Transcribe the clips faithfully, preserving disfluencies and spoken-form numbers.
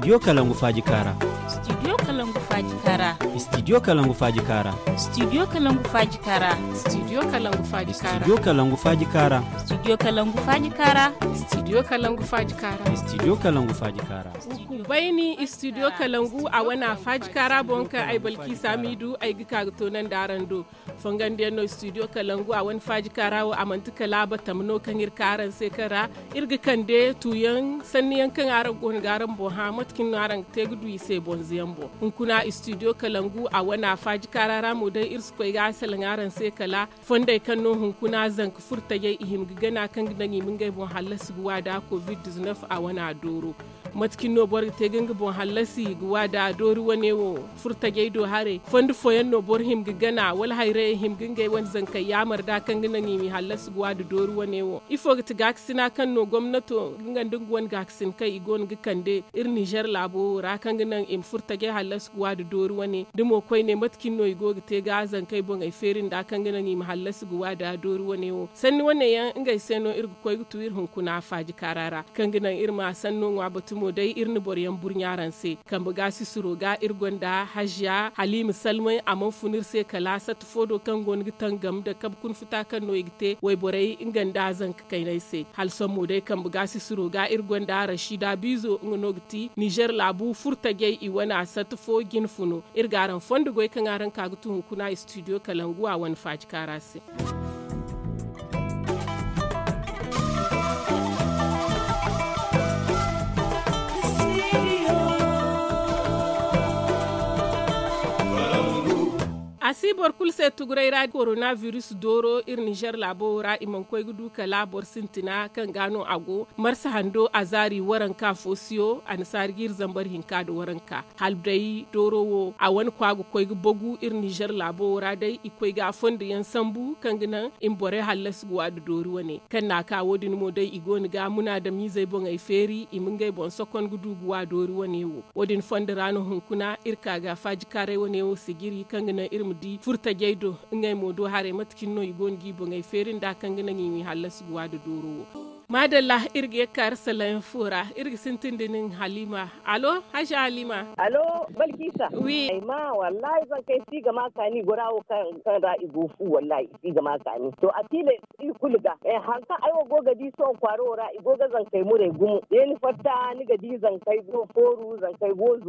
Studio kalangu faaji kaara. Studio kalangu faaji kaara. Studio kalangu faaji kaara. Studio kalangu faaji kaara. Studio kalangu faaji kaara. Studio kalangu faaji kaara. Studio kalangu faaji kaara. Studio kalangu faaji kaara. Studio kalangu faaji kaara. Bayni studio kalangu a wana faaji kaara boŋ kaŋ ay balki samidu ay ga ka ga toonandi araŋ do. Fongandiyaŋ no studio kalangu a wane faaji kaara wo a manti kala batam no kaŋ iri ka araŋ se kaŋ ra iri ga kande tuuyaŋ sanniyaŋ kaŋ araŋ go no ga araŋ boŋ hã mate kaŋ no araŋ ga te ga du i se bonzoyaŋ boŋ. Hunkuna studio kalangu a wane faaji kaara ra mo day iri si koy ga a salaŋ araŋ se kala fondey kaŋ no hunkuna zanka furo tajey i hima ga gana kaŋ ga naŋ i ma ngey boŋ hallasi ga wa da covid dizinef a wane a dooro. Mate kaŋ no boro ga te ga nga boŋ hallasi ga wa da doori wane wo furo tajey do haray fondo fooyaŋ no boro hima ga gana wala hayrayey hima ga ngey wane zankey yaamar da kaŋ ga naŋ i ma i hallasi ga wa da doori wane wo ifo ga ti gaakasina kaŋ no gomnato nga nda nga wane gaakasin kaŋ i go no ga kande iri ninzeer laabo wo ra kaŋ ga naŋ i ma furo tajey hallasi ga wa da doori wane da mo koyne mate kaŋ no i go ga te ga zankey boŋey feeri nda kaŋ ga naŋ i ma hallasi ga wa da doori wane wo sanni wane yaŋ ngey se no iri ga koy ga tu iri hunkuna faaji kaara ra kaŋ ga naŋ iri ma sanno ŋwa batumo day iri na boroyaŋ burɲa araŋ se. Kambe ga sisiro ga iri gonda haziya haliima salmay a mana fun iri se kala satta fo do kaŋ go no ga tangam nda kabe kuna futa kaŋ no i ga te wayborey nga nda zanka kaynay se hala sohõ mo day kambe ga sisiro ga iri gonda rashida biizo nga no ga ti nizer laabu furo tajey i wane a satta fo jine funo. Iri ga araŋ fondo goy kaŋ araŋ ka ga tu hunkuna studio kalangu a wane faaji kaara se. A si boro kulu se tuguray ra koronabiris dooro iri nizer laabo wo ra i mana koy ga du kala boro sintina kaŋ ga no a go marsa hando a zaari waranka fo siyo annasaari ga iri zambar hinka nda waranka. Hala day dooro wo a wane kwa ga koy ga bagu iri nizer laabo wo ra day i koy ga a fondo yaŋ sambu kaŋ ga naŋ i ma borey hallasi ga wa da doori wane kaŋ na a ka wo- din mo day i go no ga munaadamiizey boŋey feeri i ma ngey boŋ sokon ga du ga wa doori wane wo. Wo- din fondo ra no hunkuna iri ka ga faajikaaray wane wo sijiri kaŋ ga naŋ iri ma di furtajey do ngey mo do haray mate cine no i go no ga i boŋey feeri nda kaŋ ga naŋ i ma i hallasi ga wa da dooro wo. Maadalla, iri ga ye ga ka iri salayaŋ fo ra. Iri ga sintin da nin haliima. Allo, haza haliima. Allo, balkisa. Wi. Ay ma wallahi zankey si ga ma kaani gora wo kaŋ ra i go fu wallahi i si ga ma kaani to a tiila iri kulu ga. Hari kaŋ ay wo go ga di sohõ kwaaro wo ra i go ga zankey muray gumo. Yeeni fatta ni ga di zankey go fooru zankey go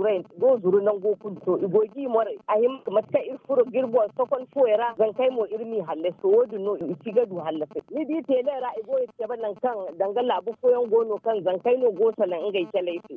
zuru nango kulu to i go ga i muray a hima mate kaŋ iri furo ga iri boŋ sokon fuwey ra zankey mo iri m'i hallasi to wo- din no i si ga du hallasay ni di teele ra i go ga cabe nangu kaŋ danga laabu fooyaŋ go no kaŋ zankey no go salaŋ ngey caley se.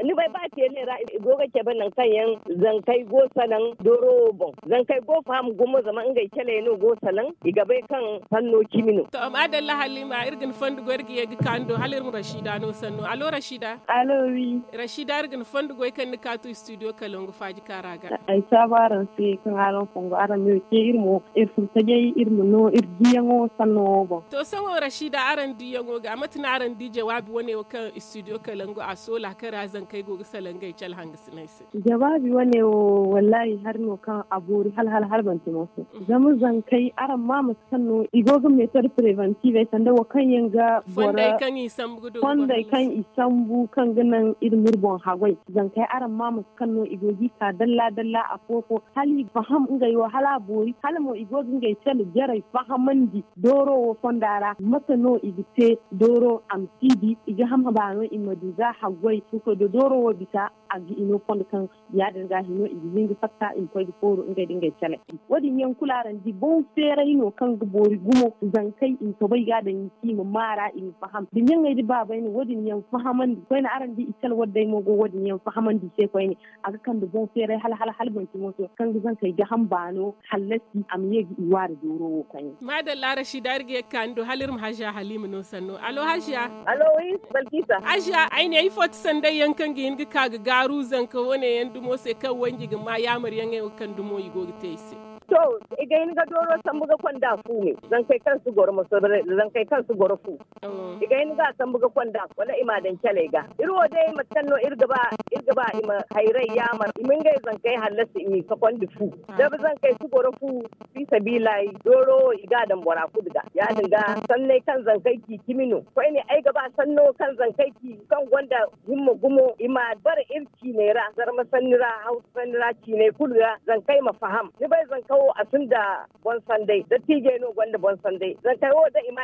Ni bay ba teele ra i go ga cabe nangu kaŋ yaŋ zankey go salaŋ dooro wo boŋ zankey go faham gumo zama ngey caley no go salaŋ i ga bay kaŋ sanno cimi no. To maadalla haliima iri ga ni fondo goy iri ga ye ga ka ni do hala iri ma rashida no sanno allo rashida. Allo wi. Rashida iri ga ni fondo goy kaŋ ni kaatu studio kalangu faaji kaara ga. Ay saabu araŋ se kaŋ araŋ fongo araŋ ma iri ce iri mo iri furo tajay iri ma no iri diyaŋo sanno wo boŋ. To sohõ rashida araŋ diyaŋo ga mate no araŋ di jawaabi wane wo kaŋ studio kalangu a soola kaŋ ra zankey go ga salaŋ ngey cale hangasiney se. Jawaabi wane wo wallahi hari no kaŋ a boori hala hala hala banti mo se. Zama zankey araŋ ma mate kaŋ no i go ga meetod preventive ay sanda wo kaŋ yaŋ ga boro fondey kaŋ i sambu kaŋ ga naŋ iri ma iri boŋ haggoy. Zankey araŋ ma mate kaŋ no i go ga i ka dalla dalla afo fo hala i ga faham ngey wo hala a boori hala mo i go ga ngey cale jarey fahamandi dooro wo fonda ra mate no i ga te dooro a ma si di i ga hama baano i ma du ga haggoy ka koy da dooro wo bisa a ga hino fondo kaŋ ya- din ga hino i ga hin ga fatta i ma koy ga fooru ngey da ngey cale. Wo- din yaŋ kulu araŋ di boŋ feeray no kaŋ ga boori gumo zankey i ma soobay ga daŋ i se i ma maara i ma faham da ɲaŋey da baabay no wo- din yaŋ fahamandi koyne araŋ di i cale wadday mo go wo- din yaŋ fahamandi i se koyne. A ga kande boŋ feeray hala hala hala banti mooso kaŋ ga zankey gaham baano hallasi a ma ye ga i waari dooro wo koyne. Maadalla rashida iri ga ye ga ka ni do hala iri ma haziya haliima no sanno allo haziya. Allo wi balkisa. Haziya ay ne ifo ti sanday yaŋ kaŋ ga hin ga ka ga gaaru zanka wane yaŋ dumo se kaŋ wanji ga ma yaamar yaŋey wo kaŋ dumo i go ga te i se. To, i ga hin ga dooro sambu ga konda fu me. Zankey kaŋ si goro moso zankey kaŋ si goro fu. I ga hin ga a sambu ga konda wala i m'a daŋ caley ga. Iri wo day mate kaŋ no iri ga ba i ma hayray yaamar i ma ngey zankey hallasi i m'i sokondi fu. Zankey si goro fu. Fiisabiilay dooro wo i ga a daŋ bora kulu ga ya- din ga sanney kaŋ zankey ci cimi no. Koyne ay ga ba sanno kaŋ zankey ci kaŋ gonda himma gumo i m'a bare iri ciiney ra zarma sanni ra hawsa sanni ra ciiney kulu ra zankey ma faham ni bay zanka wo a sinda boŋ sanday dattiijey no gonda boŋ sanday zankey wo da i ma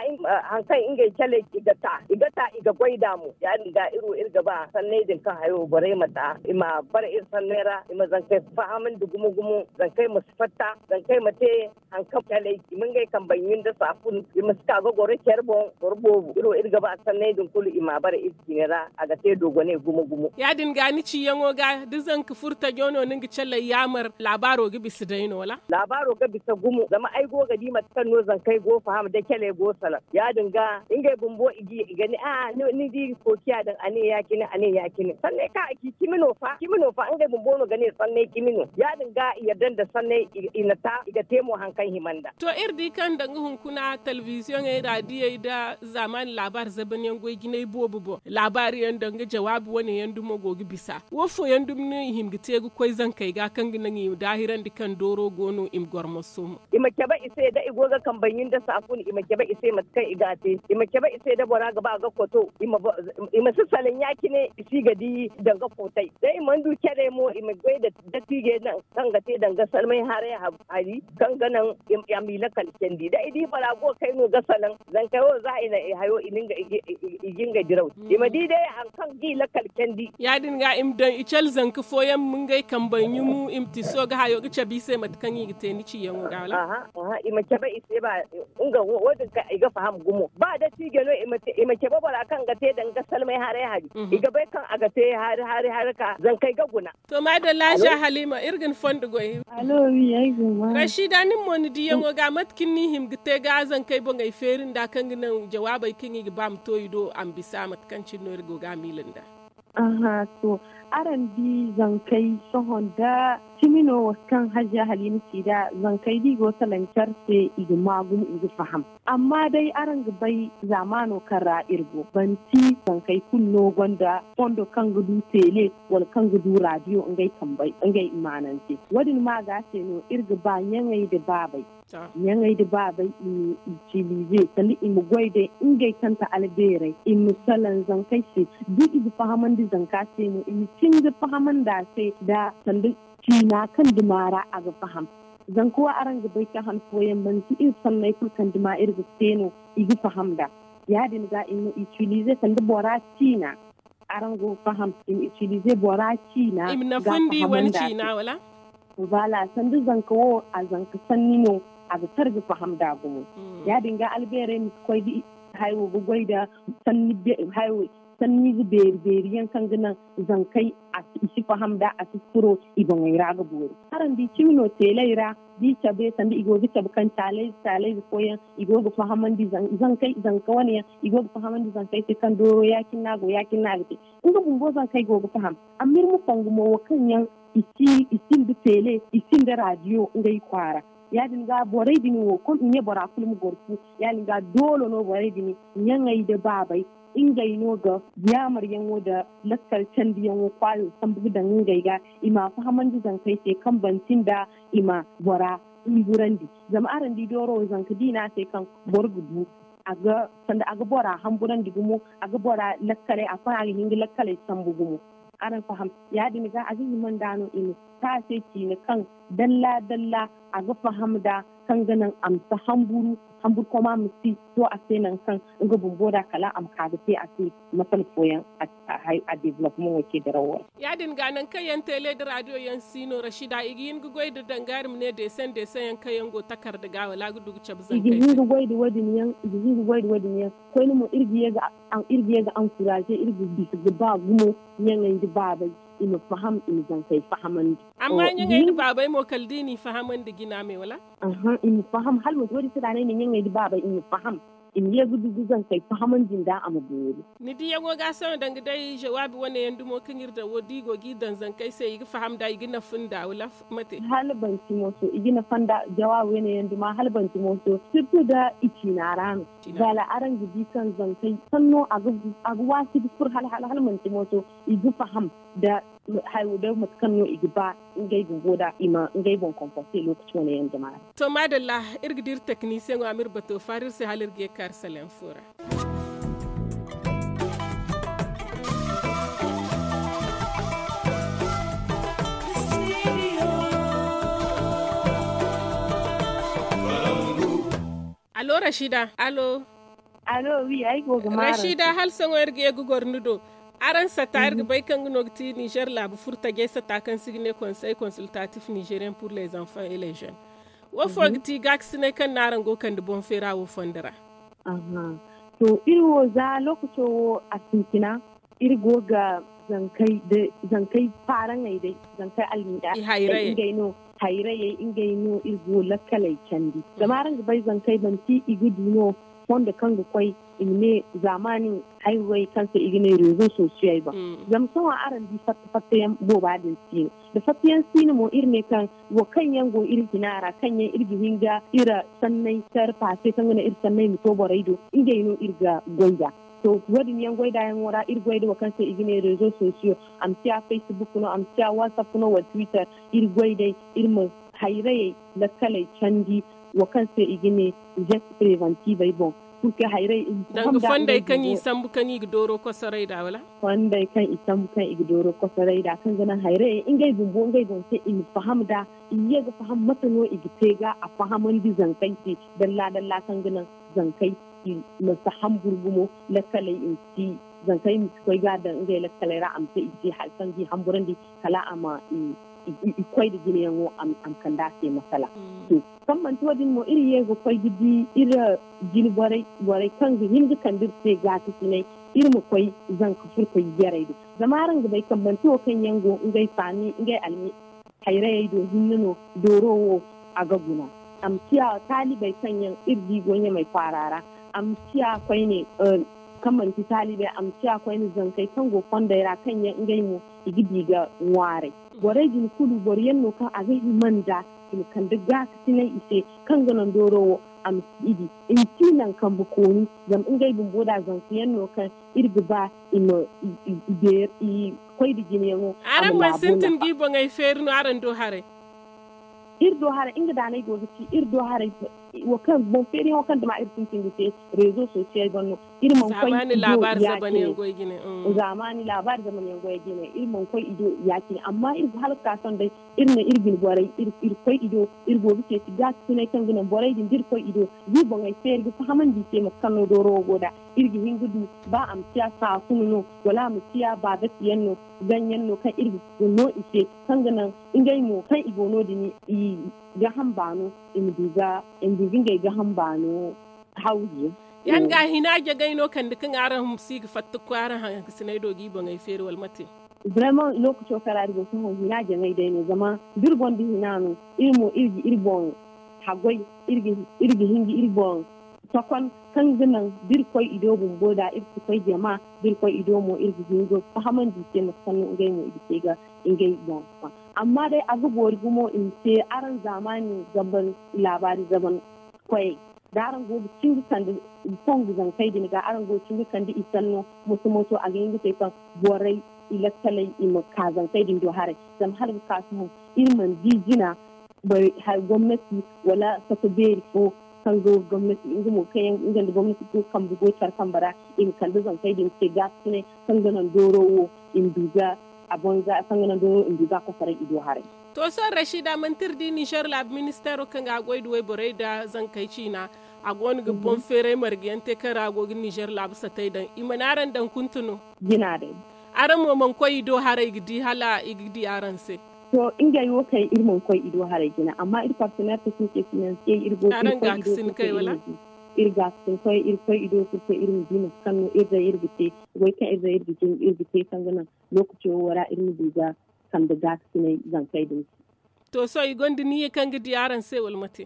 hari kaŋ ngey caley i ga ta i ga goy nd'a mo ya- din ga iri wo iri ga ba sanney din kaŋ hayo borey ma ta i ma bare iri sanney ra i ma zankey fahamandi gumo gumo zankey ma si fatta zankey ma te hari kaŋ caley i ma ngey kambe ɲun nda saafun i ma si ka ga goro care boŋ boro boobo iri wo iri ga ba sanney din kulu i m'a bare iri ciine ra a ga te dogoney gumo gumo. Ya- din ga ni ciyaŋo ga da zanka furo tajo no ni ga caley yaamar laabaaro ga bisa day no wala? Laabaaro ga bisa gumo zama ay go ga di mate kaŋ no zankey go faham da caley go salaŋ ya- din ga ngey bumbo i ga ne a ni di kookiya daŋ a ne ya- cine a ne ya- cine sanney kaŋ a ci cimi no fa cimi no fa ngey bumbo no ga ne sanney cimi no ya- din ga i yadda nda sanney i na ta i ga te mo hari kaŋ hima nda. To iri di kaŋ danga hunkuna telebiziyoŋey raadiyey nda zaamaani laabaari zabanyaŋ goy jinay boobo boŋ laabaari yaŋ danga jawaabi wane yaŋ dumo go ga bisa wo fooyaŋ dumi no i hin ga te ga koy zankey ga kaŋ ga naŋ i ma daahirandi kaŋ dooro go no i ma goro moso mo. I ma cabe i se da i go ga kambe ɲun nda saafun i ma cabe i se mate kaŋ i ga a te i ma cabe i se da bora ga ba ga koto i ma si salaŋ ya- cine i si ga di danga kootay da i mana du care mo i ma goy nda dattiijey naŋ kaŋ ga te danga salmay haray hari kaŋ ga naŋ a m'i lakal candi da i di bora go kay no ga salaŋ zankey wo za i na i hayo i ga ngey diraw i ma di day hari kaŋ ga i lakal candi. Ya- din ga i ma daŋ i cale zanka fooyaŋ ma ngey kambey ɲumu i ma tiso ga hayo ga cabe i se mate kaŋ i ga te ni ciyaŋo ga wala? Aha i ma cabe i se ba nga wo- din kaŋ i ga faham gumo ba dattijo no i ma cabe bora kaŋ ga te danga salmay haray hari i ga bay kaŋ a ga te hari hari hari ka zankey ga guna. To maadalla haja halima iri ga ni fondo goy. Rashida nin mo ni diyaŋo ga mate kaŋ ni hima ga te ga zankey boŋey feeri nda kaŋ ga naŋ jawaabey kaŋ i ga ba ma to i do a ma bisa mate kaŋ cine no iri go ga a miila nda. Aha to, araŋ di zankey sohõ nda cimi no wo kaŋ haja halima ci nd'a zankey da i go salaŋ care se i ga ma gumo i ga faham. Amma day araŋ ga bay zaamaano kaŋ ra iri go banti zankey kulu no gonda fondo kaŋ ga du teele wala kaŋ ga du raadiyo ngey kambey ngey imaanante. Wo- din ma ga se no iri ga ba ɲaŋey nda baabey ɲaŋey nda baabey i ma itilize sanda i ma goy day ngey kaŋ ti albeerey i ma salaŋ zankey se da i ga fahamandi zanka se mo i ma cindi fahamandi a se nda sanda ciina kaŋ dima ra a ga faham. Zanka wo araŋ ga bay kaŋ han fooyaŋ manti iri sanney kulu kaŋ dima iri ga te no i ga faham nd'a. Ya- din ga i ma itilize sanda bora ciina araŋ go ga faham i ma itilize bora ciina ga faham nda se. Voilà sanda zanka wo a zanka sanni no a ga kar ga faham nd'a gumo. Ya- din ga albeerey ma si koy da hayo ga goy nda sanni hayo sanniize beeri beeri yaŋ kaŋ ga naŋ zankey i si faham nd'a a si furo i boŋey ra ga boori. Araŋ di cimi no teeley ra da i cabe sanda i go ga cabe kaŋ caalayze caalayze fooyaŋ i go ga fahamandi zankey zanka wane yaŋ i go ga fahamandi zankey se kaŋ dooro ya- cine no a go ya- cine no a ga te. Nga bumbo zankey go ga faham. Amma iri ma fongu mo wo kaŋ yaŋ i sinda teele i sinda raadiyo ngey kwaara. Ya- din ga borey din wo kom i ne bora kulu ma goro fu. Ya- din ga doole no borey din ɲaŋey nda baabey ngey no ga yaamaryaŋo nda lakkal candiyaŋo kwaayo sambu ga daŋ ngey ga i m'a fahamandi zankey se kaŋ banti nda i ma bora humburandi. Zama araŋ di dooro wo zanka da i ne a se kaŋ boro ga bu sanda a ga bora hamburandi gumo a ga bora lakkaley a koy a ga hin ga lakkaley sambu gumo. Araŋ faham ya- din ga a ga hima nd'a no i ma te a se ciine kaŋ dalla dalla a ga faham nd'a kaŋ ga naŋ a ma si hamburu hamburkoma ma si to a se nangu kaŋ nga bumbo nd'a kala a ma ka ga te a se masala fooyaŋ a developpement wo ce dirawo ra. Ya- din ga nangu kaŋ yaŋ teele nda raadiyo yaŋ si no rasida i ga hin ga goy nda danga iri ma ne deesan deesan yaŋ kaŋ yaŋ go takarda ga wala a ga du ga cabe zankey se. I ga hin ga goy nda wo- din yaŋ i ga hin ga goy nda wo- din yaŋ koyne mo iri ga ye ga ankuraze iri ga bisa ga ba gumo ɲaŋey nda baabey i ma faham i ma zankey fahamandi. Amma ɲaŋey nda baabey mo kala da i n'i fahamandi jina me wala? Aha i ma faham hala manti wo- din se da no ay ne ɲaŋey nda baabey i ma faham. i ma ye ga du ga zankey fahamandi nd'a a ma boori. Ni diyaŋo ga a sohõ danga day jawaabi wane yaŋ dumo kaŋ iri daŋ wo da i go g'i daŋ zankey se i ga faham nd'a i ga nafa nd'a wala mate? Hala banti mooso i ga nafa nd'a jawaabi wane yaŋ duma hala banti mooso sirtu da i ciina ra no. Zaala araŋ ga di kaŋ zankey sanno a ga waasi ga fur hala hala hala manti mooso i ga faham da hayo day mate kaŋ no i ga ba ngey bumbo da i ma ngey boŋ komporte lookaci wane yaŋ jama ra. To maadalla, iri ga dira teknisiyeŋo a ma iri bato faari iri se hala iri ga ye ga kaari saleŋ fo ra. Alo rashida alo. Alo wi ay go ga maaraŋ. Rashida hala sohõ iri ga ye ga goro ni do. Araŋ sata iri ga bay kaŋ ga no ga ti nizer laabu furo tajey sata kaŋ se i ga ne konsey konsultatif nizeriyen pur les enfants et les jeunes. Wo fo ga ti gaakasinay kaŋ no araŋ go ga kande boŋ feera wo fondo ra? To iri wo za lookaco wo a sintina iri go ga zankey faaraŋey day zankey almiida day ngey no hayrayey ngey no iri go lakkaley candi zama araŋ ga bay zankey manti i ga du no fondo kaŋ ga koy i ma ne zaamaani hayrayey kaŋ se i ga ne rezo sosiyey boŋ. Zama sohõ araŋ di fatta fatta yaŋ booba din si no da fatta yaŋ si no mo iri ne kaŋ wo kaŋ yaŋ go iri hina ra kaŋ yaŋ iri ga hin ga iri sanney kar paase kaŋ ga naŋ iri sanney ma to borey do ngey no iri ga goy nd'a. To wo- din yaŋ goy nd'a yaŋo ra iri goy nda wo kaŋ se i ga ne rezo sosiyo a ma ciya facebook no a ma ciya whatsapp no wala twitter iri goy day iri ma hayrayey lakkaley candi wo kaŋ se i ga ne geste preventivey boŋ. Purke hayrayey i ma faham nd'a ngey bumbo. Fondey kaŋ i sambu kaŋ i ga dooro kosoray nd'a wala? Fondey kaŋ i sambu kaŋ i ga dooro kosoray nd'a kaŋ ga naŋ hayrayey ngey bumbo ngey boŋ se i ma faham nd'a i ye ga faham mate no i ga te ga a fahamandi zankey se dalla dalla kaŋ ga naŋ zankey i ma si hamburu gumo lakkaley i ma si zankey ma si koy ga a daŋ ngey lakkaley ra a ma te i ga te hari kaŋ ga i hamburandi kala a ma i koy nda jinayaŋo a ma kande a se masala. To kaŋ manti wo- din mo iri ye ga koy ga di iri jine borey borey kaŋ ga hin ga kande iri se gaakasinay iri ma koy zanka furkay jarey do zama araŋ ga bay kaŋ manti wo kaŋ yaŋ go ngey faami ngey almi hayrayey do hinne no dooro wo a ga guna. A ma ciya taalibey kaŋ yaŋ iri di go ɲamey kwaara ra a ma ciya koyne kaŋ manti taalibey a ma ciya koyne zankey kaŋ go fondey ra kaŋ yaŋ ngey mo i ga di ga ŋwaaray. Borey din kulu boro yaŋ no kaŋ a ga hima nda i ma kande gaakasinay i se kaŋ ga naŋ dooro wo a ma si i di i ma ci naŋ kambe kooni zama ngey bumbo da zanka yaŋ no kaŋ iri ga ba i ma i beeri i koy nda jinayaŋo. Araŋ mana sintin ga i boŋey feeri no araŋ do haray? Iri do haray nga daanay go ga ci iri do haray wo kaŋ boŋ feeriyaŋo kaŋ dama iri sintin ga te rezo sosiyey boŋ no. Iri mana koy i do ya- cine zaamaani laabaari zamanyaŋ goy jine iri mana koy i do ya- cine amma iri ga hala ga ka sohõ day iri ne iri bine borey iri koy i do iri go ga ceeci gaakasinay kaŋ ga naŋ borey din da iri koy i do ga i boŋey feeri ga fahamandi i se mate kaŋ no dooro wo go nd'a. Iri ga hin ga du ba a ma ciya saasuna no wala a ma ciya baabati yaŋ no gaŋ yaŋ no kaŋ iri ga no i se kaŋ ga naŋ ngey mo kaŋ i go no- din i gaham baano i ma du ga ngey gaham baano. Hawzu yaŋ ga hina jagay no kande kaŋ araŋ si ga fatta ga koy araŋ hangasinay do ga i boŋey feeri wala mate? Vraiment lookaco kaŋ ra iri go sohõ hina jaŋay day no zama da iri gonda hina no iri mo iri ga iri boŋ haggoy iri ga hin ga iri boŋ tokon kaŋ ga naŋ da iri koy i do bumbo da iri si koy jama da iri koy i do mo iri ga hin ga fahamandi i se mate kaŋ no ngey mo i ga te ga ngey boŋ. Amma day a ga boori gumo i ma te araŋ zaamaani zaban laabaari zaban koyey da araŋ go ga cin ga kande fongu zankey din ga araŋ go ga cin ga kande i sanno moso moso a ga hin ga te kaŋ borey i lakkaley i ma ka zankey din do haray. Zama hala ga ka sohõ iri mana di jina gomnati wala fatta beeri fo kaŋ go ga gomnati nga mo kaŋ yaŋ nga nda gomnati go ga kambe goy care kambe ra i ma kande zankey din se gaakasinay kaŋ ga naŋ dooro wo i ma du ga a banza kaŋ ga naŋ dooro i ma du ga a kosoray i do haray. To sohõ rashida manti iri di nizer laabu ministeero kaŋ ga a goy nda wayborey nda zankey ciina a go no ga boŋ feeray marga yaŋ te kaŋ ra a go ga nizer laabu satey daŋ i mana araŋ daŋ kuntu no? Jina day. Araŋ mo mana koy i do haray ga di hala i ga di araŋ se? To ngey wo kaŋ iri mana koy i do haray jina amma iri partenaire technique financier iri go ga iri koy i do iri ga ga sinkoy iri koy i do kulu kaŋ iri ma di mate kaŋ no iri day iri ga te goy kaŋ iri day iri ga te kaŋ ga naŋ lokaco wo ra iri ma du ga kande gaakasinay zankey din se. To sohõ i gonda niiya kaŋ ga di araŋ se wala mate?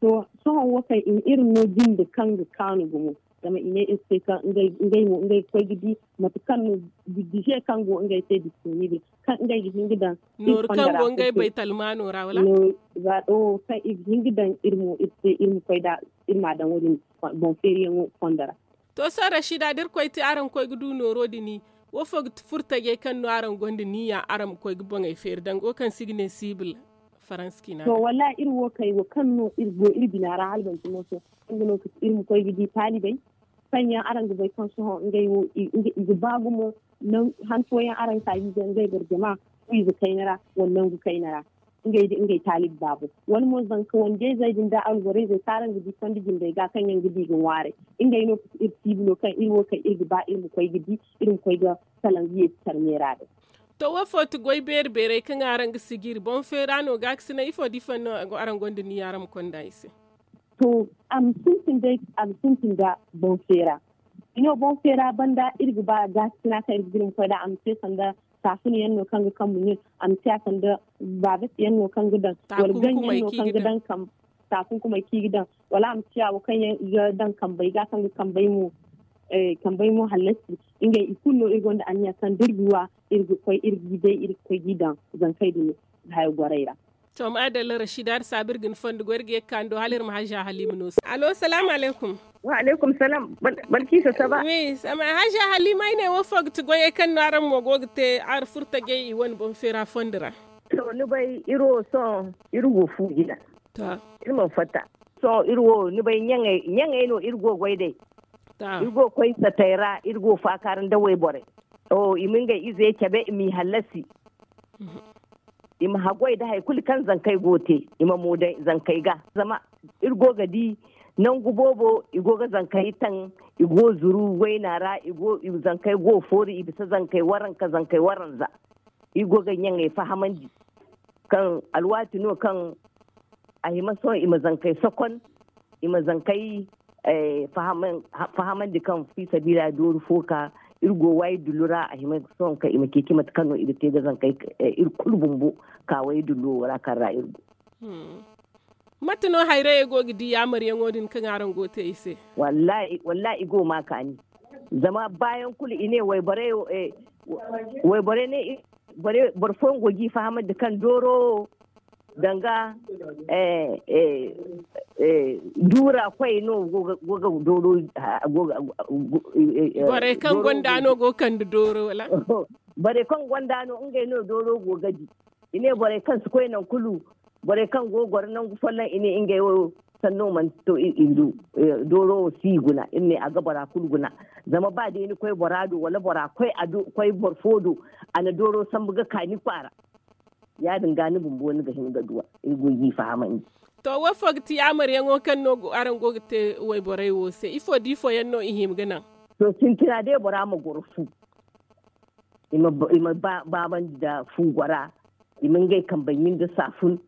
To, sohõ wo kaŋ i ma iri no jinde kaŋ ga kaanu gumo. Zama i ne iri se kaŋ ngey mo ngey ga koy ga di mate kaŋ no bidije kaŋ go ngey se disponible kaŋ ngey ga hin ga daŋ. Nooru kaŋ go ngey bay talmaano ra wala? Kaŋ i ga hin ga daŋ iri mo iri se iri ma koy da iri ma daŋ wo- din boŋ feeriyaŋo fondo ra. To sohõ rashida da iri koy te araŋ ga koy ga du nooro din, wo fo ga furo tajey kaŋ no araŋ gonda niya araŋ ma koy ga boŋey feeri danga wo kaŋ se i ga ne sibil faransa ciina? To wallahi iri wo kay wo kaŋ no iri go iri bina ra hala banci mooso, nga no ga ti iri ma koy ga di taalibey kaŋ yaŋ araŋ ga bay kaŋ sohõ ngey wo i ga ba gumo. Hantuwo yaŋ araŋ ga ka ga i ga ngey boro jama wiize kayna ra wala nangu kayna ra. Ngey da ngey taalibi baabo wala mo zanka wande izey din da alborey zey kaŋ araŋ ga di fondo jindey ga kaŋ yaŋ ga di ga ŋwaaray. Ngey no ga ti iri tiibi no kaŋ iri wo kaŋ iri ga ba iri ma koy ga di iri ma koy ga salaŋ ga yeeti tarmeera din. To wo fo ti goy beeri beerey kaŋ araŋ ga sijiri boŋ feera no ga ga sina ifo da ifo no araŋ gonda niya araŋ ma konda i se? To a ma sintin day a ga sintin da boŋ feera. Ino boŋ feera banda iri ga ba ga ga sina kaŋ iri ga giri ma koy da a ma te sanda saafuna yaŋ no kaŋ ga kambu ɲin a ma te a sanda baabati yaŋ no kaŋ ga daŋ wala gaŋ yaŋ no kaŋ ga daŋ. Taakunkumey kaŋ i ga daŋ wala a ma ciya wo kaŋ yaŋ i ga daŋ kambey ga kaŋ ga kambey mo kambey mo hallasi. Ngey i kulu no iri gonda anniya kaŋ da iri ga wa iri ga koy iri ga i day iri ga koy ga i daŋ zankey din hayo gorey ra. To maadalla rashida da saabu iri ga ni fondo goy iri ga ye ga ka ni do hala iri ma hajja halima no se allo salaamu alaykum. Wa alaykum salaam. Balkiisa saba. Wi sama hajja halima ay ne wo fo ga ti goyey kaŋ no araŋ mo go ga te araŋ furo tajey i wane boŋ feera fondo ra. To ni bay iri wo sohõ iri go fu jina. Iri mana fatta. Sohõ iri wo ni bay ɲaŋey no iri go goy day. Iri go koy satey ra iri go faakaara nda wayborey. I ma ngey ize cabe i m'i hallasi. I ma haggoy nda hari kulu kaŋ zankey go ga te i ma mo daŋ zankey ga zama iri go ga di nangu boobo i go ga zankey taŋ. I go zuru wayna ra. Zankey go ga foori i bisa zankey waranka zankey waranza. Iri go ga ɲaŋey fahamandi kaŋ alwaati no kaŋ a hima sohõ i ma zankey sokon i ma zankey fahamandi kaŋ fi sabiila dooru fo ka iri go waayi dullu ra a hima sohõ kaŋ i ma ceeci mate kaŋ no i ga te ga zankey iri kulu bumbo ka waayi dullu wo ra kaŋ ra iri go. Mate no hayrayey go ga di yaamaryaŋo din kaŋ araŋ go ga te i se? Wallaahi i go ga ma kaani. Zama baayaŋ kulu i ne wayborey ne boro fooyaŋ go ga i fahamandi kaŋ dooro wo danga duura koy no go ga dooro. Borey kaŋ gonda no go ga kande dooro wala? Borey kaŋ gonda no ngey no dooro go ga di. I ne borey kaŋ si koy nangu kulu borey kaŋ go ga goro nangu folloŋ i ne ngey wo sanno mana to i du. Dooro wo si i guna iri ne a ga bora kulu guna. Zama ba day ni koy bora do wala bora koy a do koy boro fo do a na dooro sambu ga ka ni kwaara. Ya- din ga ni bumbo ni ga hin ga duw'a iri go ga i fahamandi. To wo fo ga ti yaamaryaŋo kaŋ no araŋ go ga te wayborey wo se ifo da ifo yaŋ no i hima ga naŋ? To sintina day bora ma goro fu i ma baabandi nda fu gora. I ma ngey kambey ɲin nda saafun.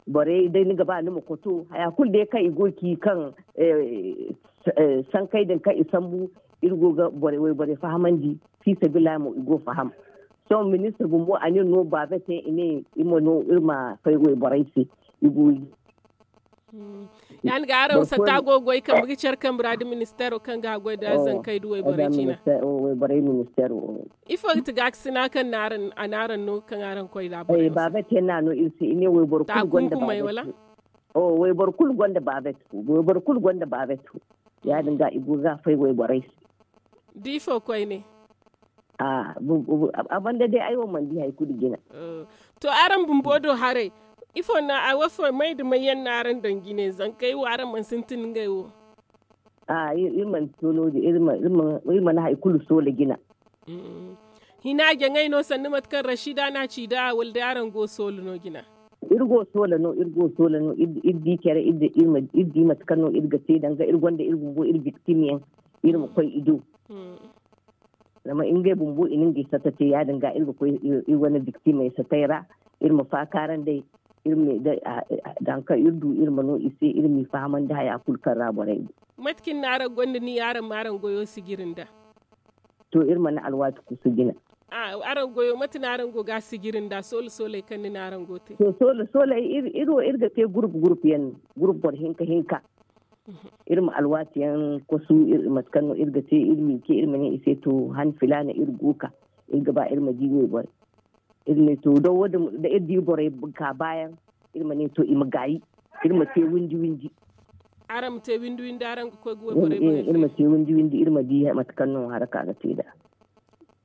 Borey day ni ga ba ni ma koto haya kulu day kaŋ i go ga ci kaŋ sankey din kaŋ i sambu. Iri go ga borey wayborey fahamandi. Fi sabiila mo i go ga faham. Sohõ ministir bumbo a ne no baabete i ne iri ma no iri ma fay wayborey se. I go ga di. Ya- din ga araŋ satta go ga goy kambe ga care kambe ra nda ministeero kaŋ ga haggoy nda zankey nda wayborey ciina. Ifo ga ti gaakasina kaŋ a na araŋ no kaŋ araŋ koy nda a borey wo se? Baabet yaŋ no a no iri se i ne wayboro kulu gonda baabet. Wayboro kulu gonda baabet. Wayboro kulu gonda baabet. Ya- din ga i go ga fay wayborey se. Da ifo koyne? A banda day ay wo mana di hari kulu jina. To araŋ bumbo do haray ifo no a wo fo may nda may yaŋ no araŋ daŋ jine zankey wo araŋ mana sintin ngey wo? A iri mana to no- din iri mana hari kulu soola jina. Hina jaŋay no sanni mate kaŋ rashida no a ci nd'a wala day araŋ go soola no jina? Iri go soola no iri go soola no iri di care iri di mate kaŋ no iri ga te danga iri gonda iri bumbo iri biktim yaŋ. Iri ma koy i do. Zama ngey bumbo i na ngey sata te ya- din ga iri ga koy iri wane biktimey satey ra. Iri ma faakaaranday iri ma i day. Danga kaŋ iri du iri ma no i se iri m'i fahamandi haya kulu kaŋ ra borey go. Mate kaŋ ni na araŋ gonda ni araŋ ma araŋ goyo sijiri nda? To iri mana alwaati kusu jina. Araŋ goyo mate no araŋ go ga a sijiri nda soola sooley kaŋ ni ne araŋ go ga te? To soola sooley iri wo iri ga te gurup gurup yaŋ no, gurup boro hinka hinka. Iri ma alwaati yaŋ kwasu mate kaŋ no iri ga te iri ma i ce iri ma ne i se to han filaana iri go ga ka, iri ga ba iri ma di wayborey. Iri ne to da iri di borey ka baayaŋ, iri ma ne to i ma gaayi, iri ma te windi windi. Araŋ ma te windi windi araŋ ga koy ga wayborey boŋ iri ma te windi windi iri ma di mate kaŋ no haraka ga te nd'a.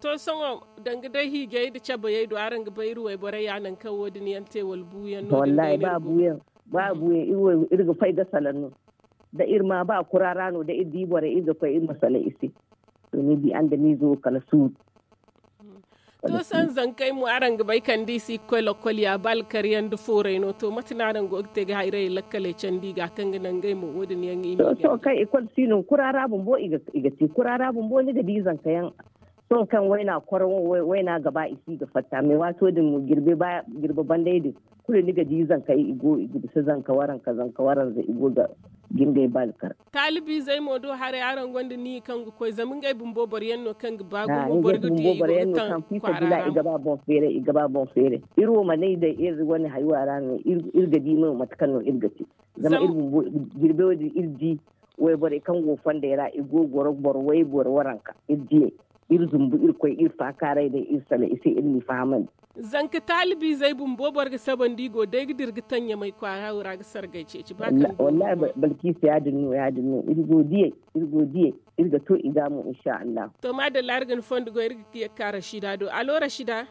To sohõ, danga day hiijay nda cabayey do araŋ ga bay iri wayborey ya nangu kaŋ wo- din yaŋ te wala buuyaŋ no? Wallaahi ba buuyaŋ, ba buuyaŋ iri ga fay ga salaŋ no. Da iri ma ba kura ra no da iri di borey iri ga koy iri ma salaŋ i se. To ni di andamiizo wo kala suuru. To sohõ zankey mo araŋ ga bay kala da i si ga koy lokkol ya ba alkar yaŋ nda foorey no to mate no araŋ go ga te ga hayrayey lakkaley candi i ga kaŋ ga naŋ ngey mo wo- din yaŋ i ma i gande. Sohõ kaŋ ikol si no kura ra bumbo i ga te kura ra bumbo ni ga di zanka yaŋ. Sohõ kaŋ wayna koro wayna ga ba i si ga fatta mais waato din mo jirbi bandey din, kulu ni ga di zankey i go i ga bisa zanka waranka zanka waranza i go ga jingay ba alkar. Taalibiizey mo do haray araŋ gonda niya kaŋ ga koy zama ngey bumbo boro yaŋ no kaŋ ga ba gumo boro ga di i go ga taŋ kwaara ra i ga ba boŋ feeray i ga ba boŋ feeray. Iri wo manay day iri wane haywa ra no iri ga di no mate kaŋ no iri ga te. Zama iri bumbo jirbe wo- din iri di wayborey kaŋ go fondey ra i go ga goro boro wayboro waranka iri di iri zumbu iri koy iri faakaaray day iri sala i se iri n'i fahamandi. Zanka taalibiizey bumbo boro ga sabandi i go day ga dira ga taŋ ɲamay kwaara wo ra ga sargay ceeci ba kaŋ. Wallaahi balkiisa ya- din no ya- din no iri go diyey iri go diyey iri ga to i ga mo insa allahu. To maadalla iri ga ni fondo goy iri ga ye ga ka rashida do alo rashida.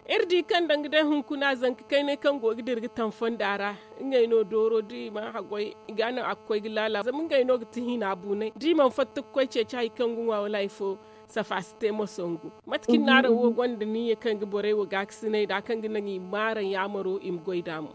Iri di kaŋ danga day hunkuna zanka kaynay kaŋ go ga dira ga taŋ fonda ra ngey no dooro da i mana haggoy i ga a naŋ a ga koy ga laala zama ngey no ga ti hina buunay da i mana fatta ga koy ceeci hari kaŋ ga ŋwa wala hari fo. Safa si te mo songu mate kaŋ ni na araŋ wo gonda niyya kaŋ ga borey wo gaakasinay nd'a kaŋ ga naŋ i ma araŋ yaamaro i ma goy nd'a mo.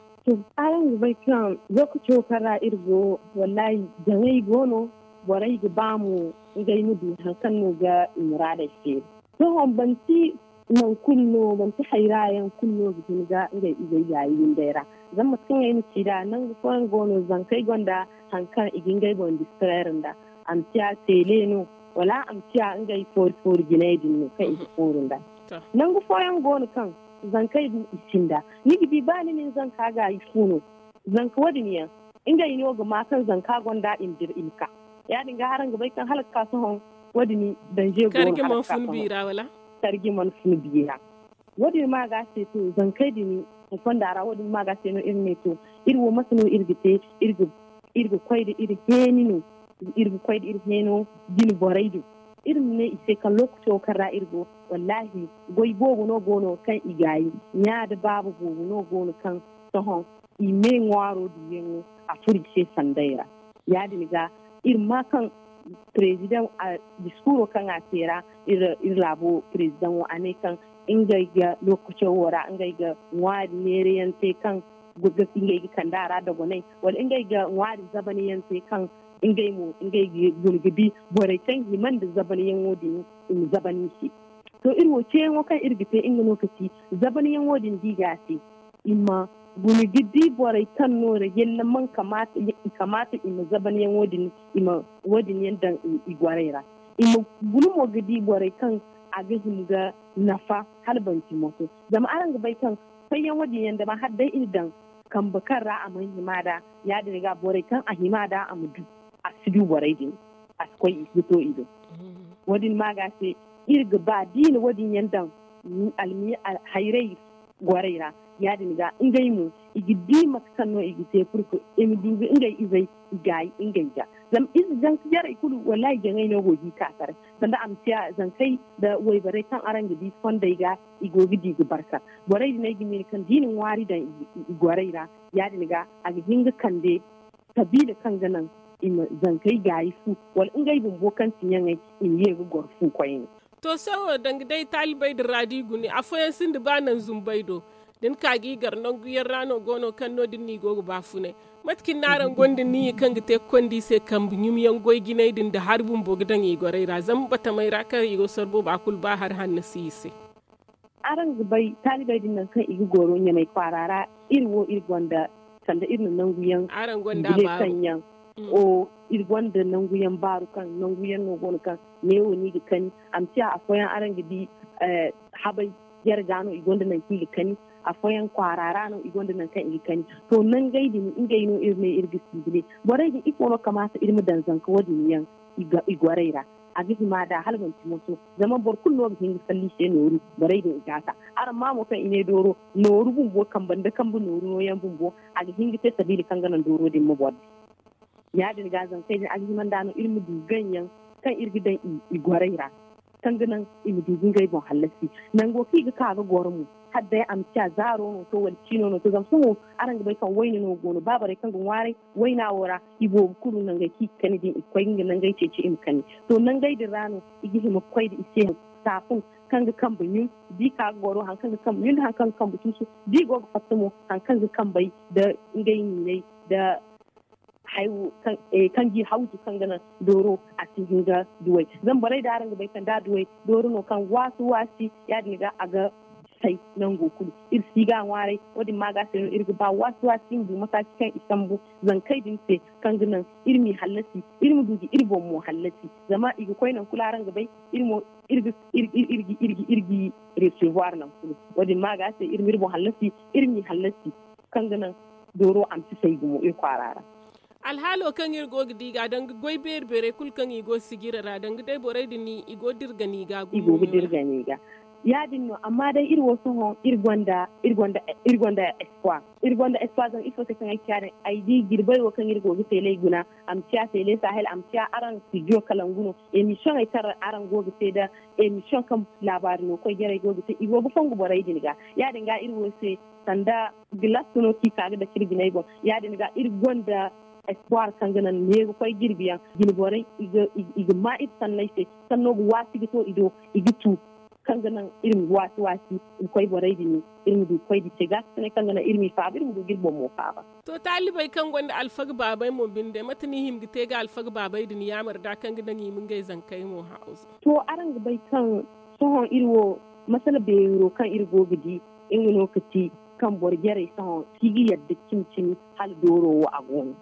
Araŋ ga bay kaŋ lookaco kaŋ ra iri go wallaahi jaŋay go no. Borey ga ba mo ngey ma du hari kaŋ no ga i muraadey feeri. Sohõ manti nangu kulu no manti hayra yaŋ kulu no ga hin ga ngey izey gaayi windey ra. Zama mate kaŋ ay na ci nd'a nangu fooyaŋ go no zankey gonda hari kaŋ i ga ngey boŋ distraire nd'a. A ma ciya teele no wala a ma ciya ngey foori foori jinay din no kaŋ i ga fooru nd'a. Nangu fooyaŋ go no kaŋ zankey din i sinda ni ga di ba ni na ni zanka gaayi fu no. Zanka wo- din yaŋ ngey no ga ma kaŋ zanka gonda i ma dira i ma ka. Ya- din ga araŋ ga bay kaŋ hala ga ka sohõ wo- din danje go no hala ga ka sohõ. Karji mana fun biira. Wo- din ma ga a se to zankey din fonda ra wo- din ma ga a se no iri ne to iri wo mate no iri ga te iri ga koy nda iri heeni no. Iri ga koy nda iri heeno jine borey din iri ma ne i se kaŋ lookaco kaŋ ra iri go wallaahi goy boobo no go no kaŋ i gaayi. Ɲa nda baaba boobo no go no kaŋ sohõ i me ŋwaaro duyaŋo a furo i se sanday ra. Ya- din ga iri ma kaŋ president diskuuro kaŋ a te ra iri laabo president wo a ne kaŋ ngey ga lookaco wo ra ngey ga ŋwaari neerayaŋ te kaŋ ngey ga kande a ra dogonay wala ngey ga ŋwaari zabanyaŋ te kaŋ ngey mo ngey ga guna ga di borey kaŋ hima nda zabanyaŋo din i ma zaban i se. To iri wo ceeyaŋo kaŋ iri ga te nga no ka ci zabanyaŋo din da i ga a te i ma guna ga di borey kaŋ no ra yalla man kamaata i ma zabanyaŋo din i ma wo- din yaŋ daŋ i gwaray ra. I ma guna mo ga di borey kaŋ a ga hima ga nafa hala banci moso. Zama araŋ ga bay kaŋ fayyaŋo din yaŋ dama hala day i na daŋ kambe kaŋ ra a mana hima nd'a ya- din ga borey kaŋ a hima nd'a a ma du a si du borey din a si koy i si to i do. Wo- din ma ga se iri ga ba da i na wo- din yaŋ daŋ almiya hayray gwaray ra. Ya- din ga ngey mo i ga di mate kaŋ no i ga te purke i ma du ga ngey izey i gaayi ngey ga. Zama ize zanka jarey kulu wallaahi jaŋay no go ga i ka taray sanda a ma ciya zankey nda wayborey kaŋ araŋ ga di fondey ga i go ga di ga barka. Borey din ay ga miila kaŋ da i na ŋwaari daŋ i gwaray ra ya- din ga a ga hin ga kande sabiila kaŋ ga naŋ i ma zankey gaayi fu wala ngey bumbo kaŋ ti ɲaŋey i ma ye ga goro fu koyne. To sohõ danga day taalibey din ra da i guna afooyaŋ sinda ba naŋ zumbey do da ni ka ga i gar nangu yaŋ ra no go no kaŋ no- din no i go ga baafunay. Mate kaŋ ni na araŋ gonda niyya kaŋ ga te ga konda i se kambe ɲumyaŋ goy jinay din nda hari bumbo ga daŋ i gorey ra zama batamey ra kaŋ i go sorbo ba kulu ba hari hanno si i se. Araŋ ga bay taalibey din nangu kaŋ i ga goro ɲamay kwaara ra iri wo iri gonda sanda iri na nangu yaŋ araŋ gonda baaru kaŋ yaŋ O, iri gonda nangu yaŋ baaru kaŋ nangu yaŋ no go no kaŋ neewo no i ga kani. A ma ciya afooyaŋ araŋ ga di habay jare ga no i gonda nangu kaŋ i ga kani. Afooyaŋ kwaara ra no i gonda nangu kaŋ i ga kani. To nangey din ngey no iri ne iri ga sinjine borey din ifo no kamaata iri ma daŋ zanka wo- din yaŋ i gwaray ra. A ga hima da hala manti moso zama boro kulu no ga hin ga salli se nooru. Borey din i gaasa araŋ ma mo kaŋ i ne dooro nooru bumbo kambe nda kambe nooru nooyaŋ bumbo a ga hin ga te sabiila kaŋ ga naŋ dooro din ma boro di. Ya- din ga zankey din a ga hima nda no iri ma du gaŋ yaŋ kaŋ iri ga daŋ i gwaray ra kaŋ ga naŋ i ma du ga ngey boŋ hallasi. Nango kaŋ i ga ka ga goro mo hala day a ma ciya zaaro no to wala ciino no to zama sohõ araŋ ga bay kaŋ wayna no go no ba borey kaŋ ga ŋwaaray wayna wo ra. I boobo kulu nangey kaŋ i ga kani din i ga koy ga nangey ceeci i ma kani. To nangey din ra no i ga hima ga koy da i se saafun kaŋ ga kambe ɲun da i ka ga goro hari kaŋ ga kambe ɲun da hari kaŋ ga kambe tuusu da i go ga fatta mo hari kaŋ ga kambey nda ngey niiney nda kaŋ ga i hawzu kaŋ ga naŋ dooro a si hin ga duway. Zama borey da araŋ ga bay kaŋ da a duway dooro no kaŋ waasi waasi ya- din ga a ga say nango kulu. Iri si ga a ŋwaaray wo- din ma ga se no iri ga ba waasi waasi iri ma du mataaci kaŋ i sambu zankey din se kaŋ ga naŋ iri m'i hallasi iri ma du ga iri boŋ mo hallasi. Zama i ga koy nangu kulu araŋ ga bay iri mo iri ga iri ga iri ga iri ga iri ga recevoir nangu kulu. Wo- din ma ga se iri ma iri boŋ hallasi iri m'i hallasi kaŋ ga naŋ dooro a ma si say gumo iri kwaara ra. Alhaalo kaŋ iri go ga di ga danga goy beeri beerey kulu kaŋ i go sijira ra danga day borey din i go ga dirgani ga gumo i go ga dirgani ga. Ya- din no amma day iri wo sohõ iri gonda iri gonda espoir. Iri gonda espoir zama ifo se kaŋ ay ci ya- din ay di jirbey wo kaŋ iri go ga teeley guna a ma ciya teele sahel a ma ciya araŋ studio kalangu no. Emisiyoney kaŋ araŋ go ga te nda emisiyoŋ kaŋ laabaari no koy jarey go ga te i go ga fongu borey din ga. Ya- din ga iri wo se sanda gilas no kaŋ i ka ga dake iri biney boŋ. Ya- din ga iri gonda espoir kaŋ ga naŋ neeru koy jirbi yaŋ jine borey i ga ma iri sanney se sanno ga waasi ga to i do i ga tu kaŋ ga naŋ iri ma waasi waasi ga koy borey din iri ma du ga koy da i te gaakasinay kaŋ ga naŋ iri m'i faaba iri ma du ga iri boŋ mo faaba. To taalibey kaŋ gonda alfaga baabey mo binde mate no i hima ga te ga alfaga baabey din yaamar da kaŋ ga naŋ i ma ngey zankey mo haazu? To araŋ ga bay kaŋ sohõ iri wo masala beero kaŋ iri go ga di nga no ga ti kaŋ boro jarey sohõ si ga yadda cimi cimi hala dooro wo a go no.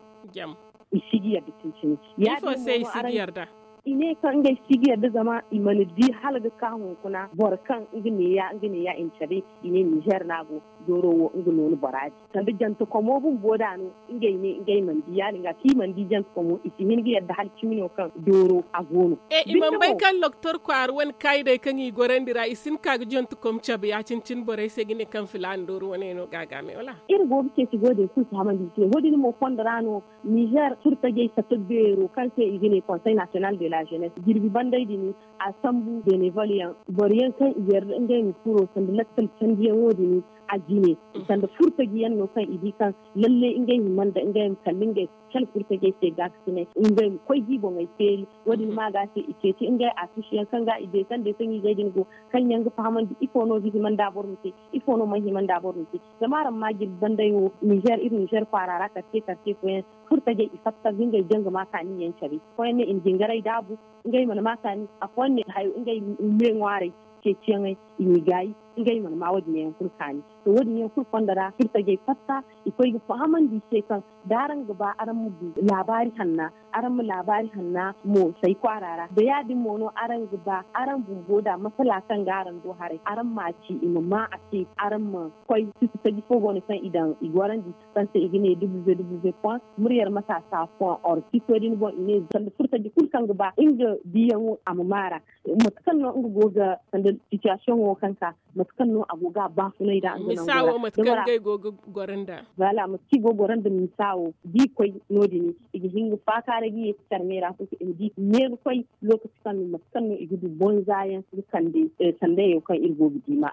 I si ga yadda cimi cimi ya- din mo no araŋ i ne kaŋ ngey si ga yadda zama i mana di hala ga ka hunkuna boro kaŋ nga neeya nga neeya i ma cabe i ne nizer no a go. Dooro wo nga no ni bora di sanda jantakomo bumbo da no ngey ne ngey mana di ya- din ga kaŋ i mana di jantakomo i si hin ga yadda hala cimi no kaŋ dooro a go no. I mana bay kaŋ loktor kwaara wane kaayidey kaŋ i gorandi ra i si hin ga ka ga jantakom cabe ya- cine cine borey se ga ne kaŋ filaana dooro wane no ga a ga me wala? Iri go ga ceeci go- din kulu fahamandi i se wo- din mo fondo ra no nizer furtajey fatta beero kaŋ se i ga ne konsey nasiyonal de la zenesse jirbi bandey din a sambu benevol yaŋ boro yaŋ kaŋ i yarda ngey ma furo sanda lakkal candiyaŋo din a jine sanda furtaji yaŋ no kaŋ i di kaŋ lalle ngey hima nda ngey ma kala ngey kala furtajey se gaakasinay ngey ma koy ga i boŋey feeri. Wo- din ma ga se i ceeci ngey a tuusu yaŋ kaŋ ga i deesandey kaŋ i gay din go kaŋ yaŋ ga fahamandi ifo no ga hima nda boro ma te ifo no mana hima nda boro ma te. Zama araŋ ma jirbi bandey wo nizer iri nizer kwaara ra karce karce fooyaŋ furtajey i fatta ga ngey janga ma kaani yaŋ care fooyaŋ ne i na jingaray daabu ngey mana ma kaani afooyaŋ ne hayo ngey me ŋwaaray ceeciyaŋey i n'i gaayi ngey mana ma wo- din yaŋ kulu kaani. To wo- din yaŋ kulu fondo ra furtajey fatta i koy ga fahamandi i se kaŋ da araŋ ga ba araŋ ma du laabaari hanna araŋ ma laabaari hanna mo say kwaara ra da ya- din mo no araŋ ga ba araŋ bumbo da masala kaŋ ga araŋ do haray araŋ ma a ci i ma ma a se araŋ ma koy tutu taji fo go no kaŋ i daŋ i gorandi kaŋ se i ga ne www point muryar matasa point org sito din boŋ i ne sanda furtaji kulu kaŋ ga ba nga diyaŋo a ma maara mate kaŋ no nga go ga sanda sitiyasiyoŋo kaŋ ka mate kaŋ no a go ga a baafunay da nga nango ra. Misawo mate kaŋ ngey go ga goro nda. Voilà mate kaŋ i go ga goro nda misawo da i koy no- din i ga hin ga faakaaray ga ye ka care me ra fo se i ma di ne ga koy lokaci kaŋ no mate kaŋ no i ga du bonza yaŋ ga kande sandayaŋ kaŋ iri go ga di ma.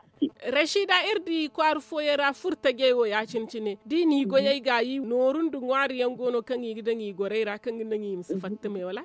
Rashida iri di kwaara fooyaŋ ra furtajey wo ya- cine cine da i n'i goyey gaayi nooru nda ŋwaari yaŋ go no kaŋ i ga daŋ i gorey ra kaŋ ga naŋ i ma si fatta me wala?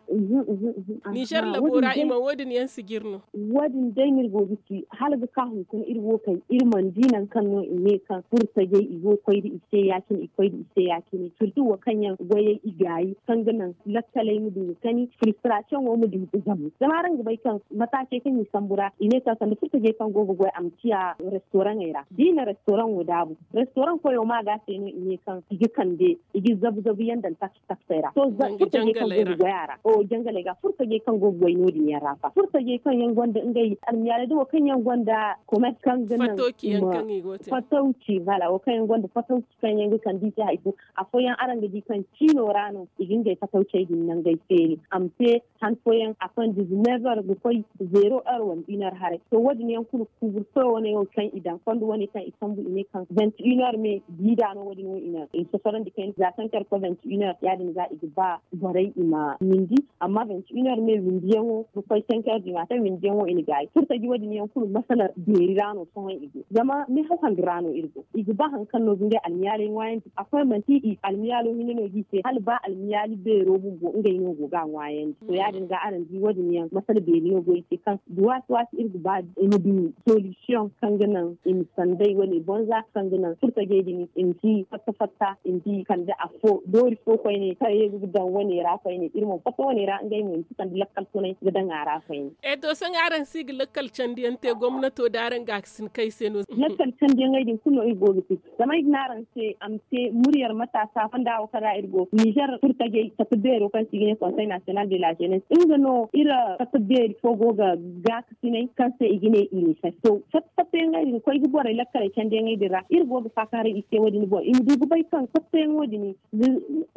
Nizer labo ra i ma wo- din yaŋ si jire no. Wo- din day no iri go ga ci hala ga ka hunkuna. Iri wo kaŋ iri mana di nangu kaŋ no i ne kaŋ furo tajey i go ga koy nda i se ya- cine i koy nda i se ya- cine surtout wo kaŋ yaŋ goyey i gaayi kaŋ ga naŋ lakkaley ma du ga kani firistrasiyoŋo ma du ga zambu zama araŋ ga bay kaŋ mataacey kaŋ i sambu ra i ne kaŋ sanda furo tajey kaŋ go ga goy a ma ciya restoraŋey ra da i na restoraŋo daabu restoraŋ koyo ma ga se no i ne kaŋ i ga kande i ga zabu zabu yaŋ daŋ taksey ra to furo tajey kaŋ go ga goy a ra jangaley ga furo tajey kaŋ go ga goy no- din yaŋ ra fa furo tajey kaŋ yaŋ gonda ngey almiyaaley da wo kaŋ yaŋ gonda komers kaŋ ga naŋ fatawci voilà wo kaŋ yaŋ gonda fatawci kaŋ yaŋ ga kande i se hari kulu afooyaŋ araŋ ga di kaŋ ciino ra no i ga ngey fatawcey din nangey feeri a ma te han fooyaŋ a konda dizineef heures ga koy zeero heures wala une heure haray to wo- din yaŋ kulu kuburso wane wo kaŋ i daŋ fondo wane kaŋ i sambu i ne kaŋ vingt une heures me biida no wo- din wo i na i sosorandi kayna za cinq heures ga koy vingt une heures ya- din ga i ga ba borey i ma windi amma vingt une heures me windiyaŋo ga koy cinq heures du matin windiyaŋo i na gaayi furo taji wo- din yaŋ kulu masala beeri ra no sohõ i go zama meehaw handu ra no iri go i ga ba hari kaŋ no ga ngey almiyaaley ŋwaayandi afooyaŋ manti i almiyaalo hinne no ga i te hala ba almiyaali beero bumbo ngey no go ga a ŋwaayandi to ya- din ga araŋ di wo- din yaŋ masala beeri no go i se kaŋ da waati waati iri ga ba i ma du solisiyoŋ kaŋ ga naŋ i ma sanday wane bonza kaŋ ga naŋ furo tajey din i ma si fatta fatta i ma si kande afo doori fo koyne kaŋ ye ga daŋ wane ra koyne iri mo fatta wane ra ngey mo i ma si kande lakkal tunay ga daŋ a ra koyne. E to sohõ araŋ si ga lakkal candiyaŋ te gomnato da araŋ ga a ga si ni kay se no. Lakkal candiyaŋey din kulu no iri go ga te zama ay ga ne araŋ se a ma te muryar mataasa fonda wo kaŋ ra iri go nizer furo tajey fatta beero kaŋ se i ga ne konsey nasiyonal de la zenes nga no iri fatta beeri fo go ga gaakasinay kaŋ se i ga ne i ma fay to fatta fattayaŋey din koy ga borey lakkaley candiyaŋey din ra iri go ga faakaaray i se wo- din boŋ i ma du ga bay kaŋ fattayaŋo din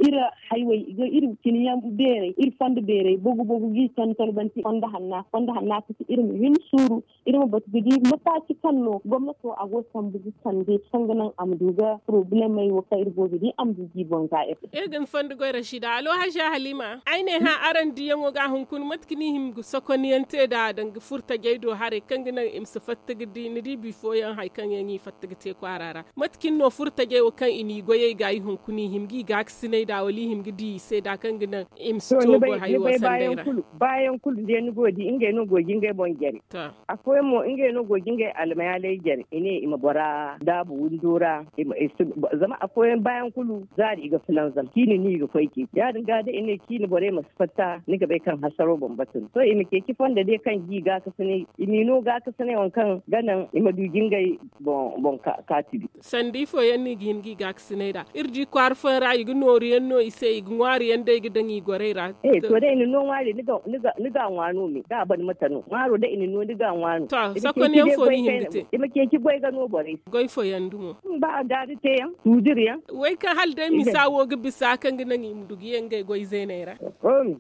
iri haywey iri ciniyaŋ beerey iri fondo beerey bogu bogu ga i ton tolbanti fondo hanna fondo hanna ga ti iri ma hin suuru iri ma batu ga di mataaci kaŋ no gomnato a go sambu ga sande kaŋ ga naŋ a ma du ga porobulemey wo kaŋ iri go ga di a ma du ga i boŋ ga iri. Iri ga ni fondo goy rasida alo haziya halima ay ne hã araŋ diyaŋo ga hunkuna mate kaŋ i hima ga sokoniyaŋ te nd'a danga furo tajey do haray kaŋ ga naŋ i ma si fatta ga di ni di bifooyaŋ hari kaŋ yaŋ i fatta ga te kwaara ra mate cine no furo tajey wo kaŋ i n'i goyey ga i hunkuna i hima g'i gaakasiney nd'a wala i hima ga di i se nd'a kaŋ ga naŋ i ma si to goy hayo wo sanday ra. Baayaŋ kulu day ni go ga di ngey no go ga ngey boŋ jare. Afooyaŋ mo ngey no go ga ngey almayaalay jare i ne i ma bora daabu windo ra. Zama afooyaŋ baayaŋ kulu zaari i ga filanzam ciine no i ga koy ceeci ya- din ga da i ne ciine borey ma si fatta ni ga bay kaŋ hasaro bambata no to i ma ceeci fondo day kaŋ ga i gaakasinay i m'i no gaakasinay waŋ kaŋ ga naŋ i ma du ga ngey boŋ kaati bi. Sanda ifo yaŋ no i ga hin ga i gaakasinay nd'a iri di kwaara fooyaŋ ra i ga nooru yaŋ no i se i ga ŋwaari yaŋ day ga daŋ i gorey ra. To da i na no ŋwaari ni ga a ŋwa no me da a ban mate no ŋwaaro da i na no ni ga a ŋwa no. Sokon yaŋ fo ni hin ga te i ma ceeci goy ga no borey se goy fo yaŋ dumo. Ba a gaari te yaŋ tuudir yaŋ. Way kaŋ hala day misa wo ga bisa kaŋ ga naŋ i ma du ga ye ngey goy zeeney ra.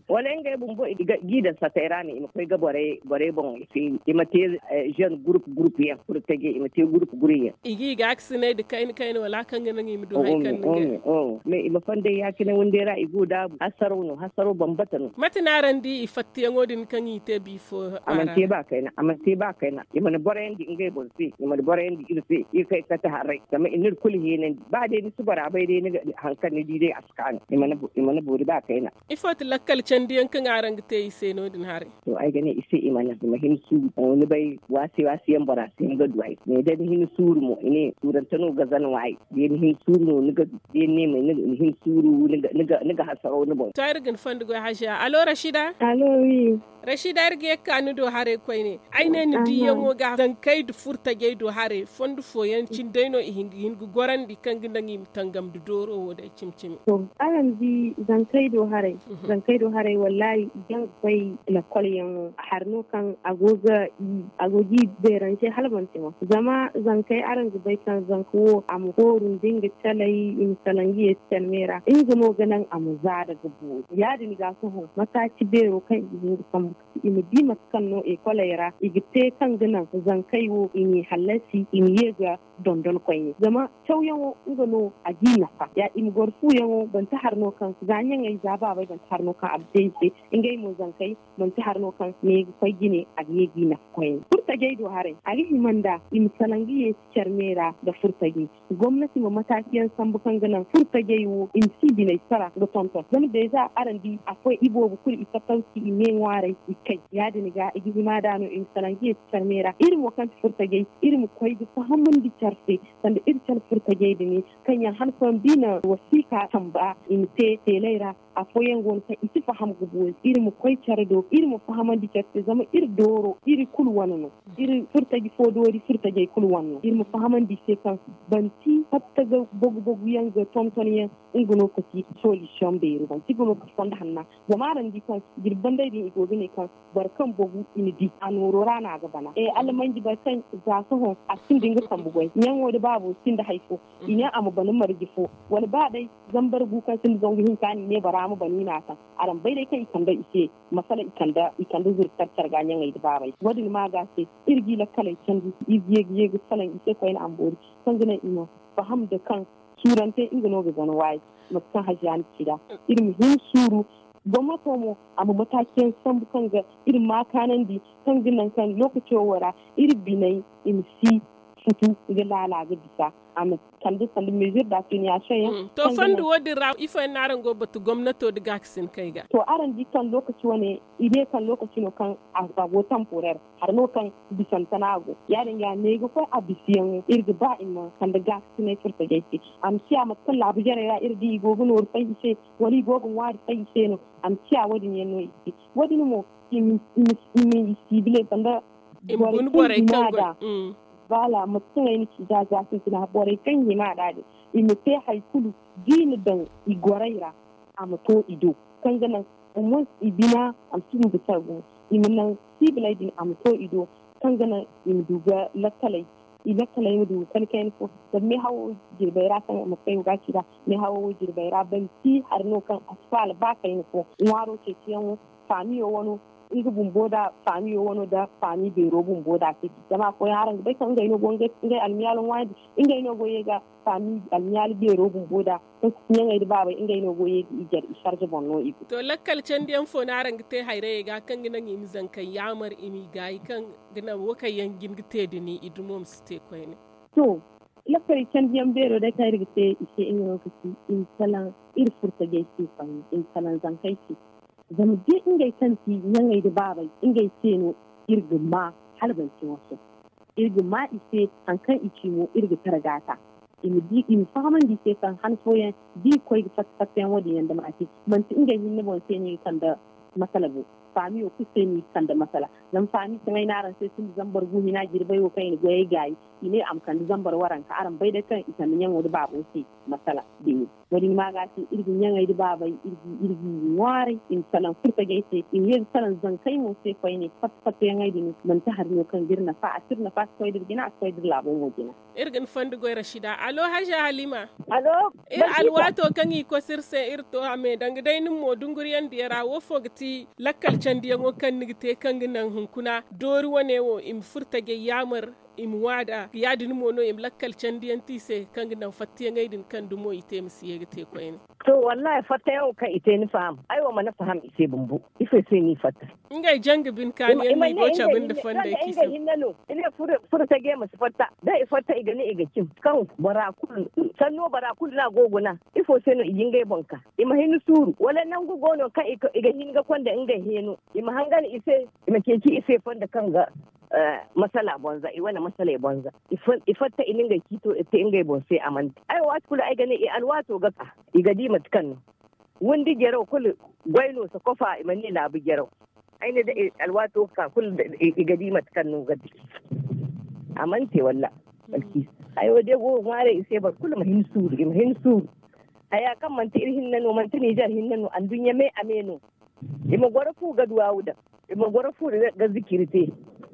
Wala ngey bumbo ga i daŋ satey ra no i ma koy ga borey boŋ i ma te zen gurup gurup yaŋ purtaje i ma te gurup gurey yaŋ. I ga i gaakasinay nda kayna kayna wala kaŋ ga naŋ i ma du hari kaŋ ni ga. Mais i ma fonday ya- cine windey ra i go daabu hasaraw no hasaraw bambata no. Mate no araŋ di i fattayaŋo din kaŋ i te biifo? A mana te ba kayna a mana te ba kayna i mana borayandi ngey boŋ se i mana borayandi iri se iri kay kate haray zama i n'iri kulu heenandi ba day ni si bora bay day ni ga hari kaŋ ni di day a si kaanu. I mana boori ba kayna. Ifo ti lakkal candiyaŋ kaŋ araŋ ga te i se no- din haray? To ay ga ne i se i mana i ma hin suuru ni bay waasi waasi yaŋ bora si hin ga du ay ne da ni hin suuru mo i ne suurante no ga zan waay. Da ni hin suuru no ni ga du da ni ne ma ni hin suuru ni ga hasaraw ni boŋ. To ay ra ga ni fondo goy haziya alo rashida. Alo wi. Rashida ay ra ga ye ga ka ni do haray koyne ay ne ni diyaŋo ga zankey nda furtajey do haray fondo fooyaŋ cine day no i hin ga gorandi kaŋ ga naŋ i ma tangam nda dooro wo day cimi cimi. Araŋ di zankey do haray zankey do haray wallaahi i jaŋ ga koy lakkol yaŋo hari no kaŋ a go ga i a go ga i beerante hala manti mo zama zankey araŋ ga bay kaŋ zanka wo a ma hooru nda nga calay i ma salaŋ ga ye si calmey ra nga no ga naŋ a ma zaada ga boori ya- din ga sohõ mataaci beero kaŋ i ga hin ga sambu ga ti i ma di mate kaŋ no ekoley ra i ga te kaŋ ga naŋ zankey wo i n'i hallasi i ma ye ga dondon koyne. Zama cawyaŋo nga no a g'i nafa ya i ma goro fuuyaŋo banti hari no kaŋ za ɲaŋey za baabey banti hari no kaŋ a ga te i se. Ngey mo zankey manti hari no kaŋ ne ga koy jine a ga ye g'i nafa koyne furtajey do haray a ga hima nda i ma salaŋ ga ye care me ra nda furtajey. Gomnati ma mataakiyaŋ sambu kaŋ ga naŋ furtajey wo i ma si biney sara ga tonton zama deeza araŋ di afooyaŋ iboobo kulu i fattaw si i me ŋwaaray i kay ya- din ga i ga hima nd'a no i ma salaŋ ga ye care me ra iri mo kaŋ ti furtajey iri ma koy ga fahamandi care se. Sanda iri care furtajey din kaŋ yaŋ han fooyaŋ da i na wasiika tamba i ma te teeley ra. Afooyaŋ go no kaŋ i si faham ga boori iri ma koy care do iri ma fahamandi care se zama iri dooro iri kulu wane no. Iri furtaji fo doori furtajey kulu wane no iri ma fahamandi i se kaŋ banti fatta ga bogu bogu yaŋ ga tonton yaŋ. Nga no ka ci solution beeri banti ga no ka ci fondo hanna. Zama araŋ di kaŋ jirbi banday din i go ga ne kaŋ boro kaŋ bogu i na di a nooro ra no a ga bana. Almanji boro kaŋ za sohõ a sinda nga sambu goy ɲaŋo nda baabo sinda hari fo. I ne a ma bana marje fo wala ba day zambar gu kaŋ sinda zangu hinka no i ne bora ma bana i n'a taŋ. Araŋ bay day kaŋ i kande i se masala i kande zuru care care ga ɲaŋey nda baabey wo- din ma ga se. Iri ga i lakkaley candi iri ga ye ga ye ga salaŋ i se koyne a ma boori kaŋ ga naŋ i ma faham nda kaŋ suurante nga no ga gana waayi. Mate kaŋ hajiya na ci nd'a iri ma hin suuru. Gomnato mo a ma mataaci yaŋ sambu kaŋ ga iri ma kaanandi kaŋ ga naŋ kaŋ lookaco wo ra iri biney i ma si futu ga laala ga bisa a ma kande sanda mezir da finiyasoŋ yaŋ. To fondo wo- din ra ifo yaŋ no araŋ go ga batu gomnato nda gaakasinakey ga? To araŋ di kaŋ lookaci wane i ne kaŋ lookaci no kaŋ a go tamporer hari no kaŋ bisante no a go. Ya- din ga ne ga koy a bisiyaŋo iri ga ba i ma kande gaakasinay furtajey se. A ma ciya mate kaŋ laabu jarey ra iri di i go ga nooru fay i se wala i go ga ŋwaari fay i se no. A ma ciya wo- din yaŋ no i se wo- din mo i ma i siibile sanda borey kaŋ i ma a da. Baala mate kaŋ ay na ci da za sintina borey kaŋ i hima a da din i ma te hari kulu da i na daŋ i gorey ra. A ma to i do kaŋ ga naŋ au moins i bina a ma si hin ga care gumo. I ma naŋ siibiley din a ma to i do kaŋ ga naŋ i ma du ga lakkaley i lakkaley ma du ga kani kayna fo. Zama meehawo jirbey ra kaŋ mate kaŋ ay go ga a ci nd'a meehawo wo jirbey ra banti hari no kaŋ a si faala ba kayna fo. Ŋwaaro ceeciyaŋo faamiyo wano nga bumbo nda faamiyo wano nda faami beero bumbo nda a si di zama afooyaŋ araŋ ga bay kaŋ ngey no go ngey almiyaalo ŋwaayandi. Ngey no go ye ga faami almiyaalo beero bumbo nda kaŋ si ti ɲaŋey nda baabey ngey no go ye ga i jare i sarje boŋ no i go. To lakkal candiyaŋ fo no araŋ ga te hayrayey ga kaŋ ga naŋ i ma zankey yaamar i m'i gaayi kaŋ ga naŋ wo kaŋ yaŋ jin ga te din i dumo ma si te koyne? To lakkal candiyaŋ beero day kaŋ iri ga te i se nga no ga ti i ma salaŋ iri furtajey se koyne i ma salaŋ zankey se. Zama da ngey kaŋ ti ɲaŋey nda baabey ngey se no iri ga ma hala banti waso. Iri ga ma i se hari kaŋ i ci mo iri ga tara gaata. I ma fahamandi i se kaŋ han fooyaŋ da i ga koy ga fatta fattayaŋ wo- din yaŋ dama a te manti ngey hinne boŋ se no i ga kande masala bo. Faamiyo kulu se no i ga kande masala. Zama faami kaŋ ay ne araŋ se sinda zambar gu hina jirbey wo kaŋ i na goyey gaayi i ne a ma kande zambar waranka araŋ bay day kaŋ i kande ɲaŋo nda baabo se masala. Beeri wo- din ma ga se iri ga ɲaŋey nda baabey iri ga i ŋwaaray i ma salaŋ furtajey se i ma ye ga salaŋ zankey mo se koyne fatta fattayaŋey din manti hari no kaŋ ga iri nafa a si iri nafa a si koy da iri jina a si koy da iri laabo mo jina. Iri ga ni fondo goy rasida alo haza halima. Iri alwaato kaŋ i kosi iri se iri to a me danga day nin mo dunguriyaŋ diya ra wo fo ga ti lakkal candiyaŋo kaŋ ni ga te kaŋ ga naŋ hunkuna doori wane wo i ma furtajey yaamar i ma waada ya- din mo no i ma lakkal candiyaŋ te i se kaŋ ga naŋ fattayaŋey din kaŋ dumo i te ma si ye ga te koyne? To wallahi fattayaŋo kaŋ i te ni faham ay wo mana faham i se bumbo. Ifo se no i fatta? Ngey janga bine kaaniyaŋ no i go cabe nda fondey kaŋ i se. Furo tage ma si fatta da i fatta i ga ne i ga cim kaŋ bora kulu sanno bora kulu no a go guna. Ifo se no i ga ngey boŋ ka i ma hin suuru wala nangu go no kaŋ i ga hin ga konda ngey heeno i ma hangan i se i ma ceeci i se fondo kaŋ ga masala bonza i wane masaley bonza. I fatta i na ngey ciito te ngey boŋ se a mana te ay waati kulu ay ga ne i alwaato ga ka i ga di mate kaŋ no windi jaraw kulu goy no si kofa i ma ne laabu jaraw. Ay ne da alwaato ga ka kulu i ga di mate kaŋ no ga di a mana te walla. Hayo day go ga ŋwaaray i se boro kulu ma hin suuru i ma hin suuru. Haya kaŋ manti iri hinne no manti ninzeer hinne no anduɲɲa me a me no. I ma goro fu ga duwaawu daŋ i ma goro fu ga zikiri te.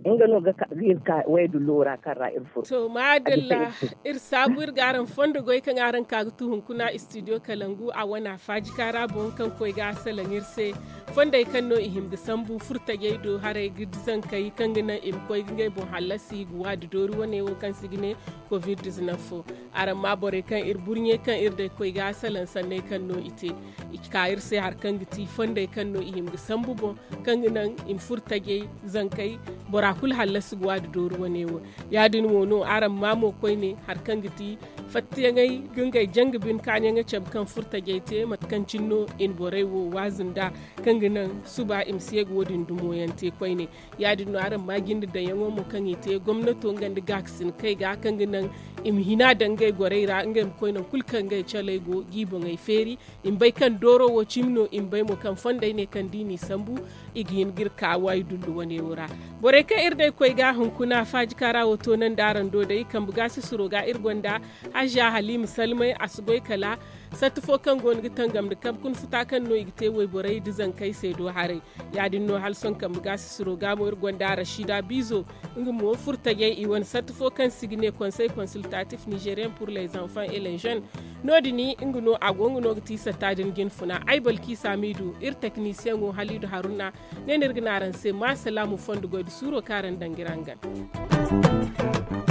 Nga no ga ka ga iri ka waydullo ra kaŋ ra iri furo. To maadalla. Iri saabu iri ga araŋ fondo goy kaŋ araŋ ka ga tu hunkuna istidiyo kalangu a wana faajika ra boŋ kaŋ koy ga a salaŋ iri se. Fondey kaŋ no i hima ga sambu furtajey do haray ga zankey kaŋ ga naŋ i ma koy ga ngey boŋ hallasi ga waadi doori wane wo kaŋ se i ga ne covid dizinaf fo. Araŋ ma borey kaŋ iri burɲe kaŋ iri day koy ga a salaŋ sanney kaŋ no i te. I ka iri se hari kaŋ ga ti fondey kaŋ no i hima ga sambu boŋ kaŋ ga naŋ i ma furo tajey zankey bora kulu hallasi ga waadi dooru wane wo. Ya- din mo no araŋ ma mo koyne hari kaŋ ga ti fattiyaŋey ga ngey janga bine kaaɲaŋey cabe kaŋ furo tajey te mate kaŋ cine no i na borey wo waazu nd'a kaŋ ga naŋ suba i ma si ye ga wo- din dumo yaŋ te koyne. Ya- din no araŋ ma jinde daŋyaŋo mo kaŋ i te gomnato nga nda gaakasin kay ga kaŋ ga naŋ i ma hina daŋ ngey gorey ra ngey ma koy nangu kulu kaŋ ngey caley go ga i boŋey feeri. I ma bay kaŋ dooro wo cimi no i ma bay mo kaŋ fondey ne kaŋ da i n'i sambu i ga hin ga iri ka waydullu wane wo ra. Borey kaŋ iri day koy ga hunkuna faajika ra wo toonandi araŋ do day kambe gaasisiro ga iri gonda haziya haliima salmay a si goy kala satta fo kaŋ go no ga tangam nda kabe kuna futa kaŋ no i ga te wayborey nda zankey se do haray. Ya- din no hala sohõ kambe gaasisiro ga mo iri gonda rashida biizo nga mo furo tajey i wane satta fo kaŋ se i ga ne konsey konsiltatif nizeriyen pur lez anfan elezen. No- din nga no a go nga no ga ti satta din jinfuna ay balki samidu iri teknisiyeŋo halidu haruna. Ne no iri ga ne araŋ se ma salaamu fondo goy nda suuro kaŋ araŋ daŋ ga iri hangan.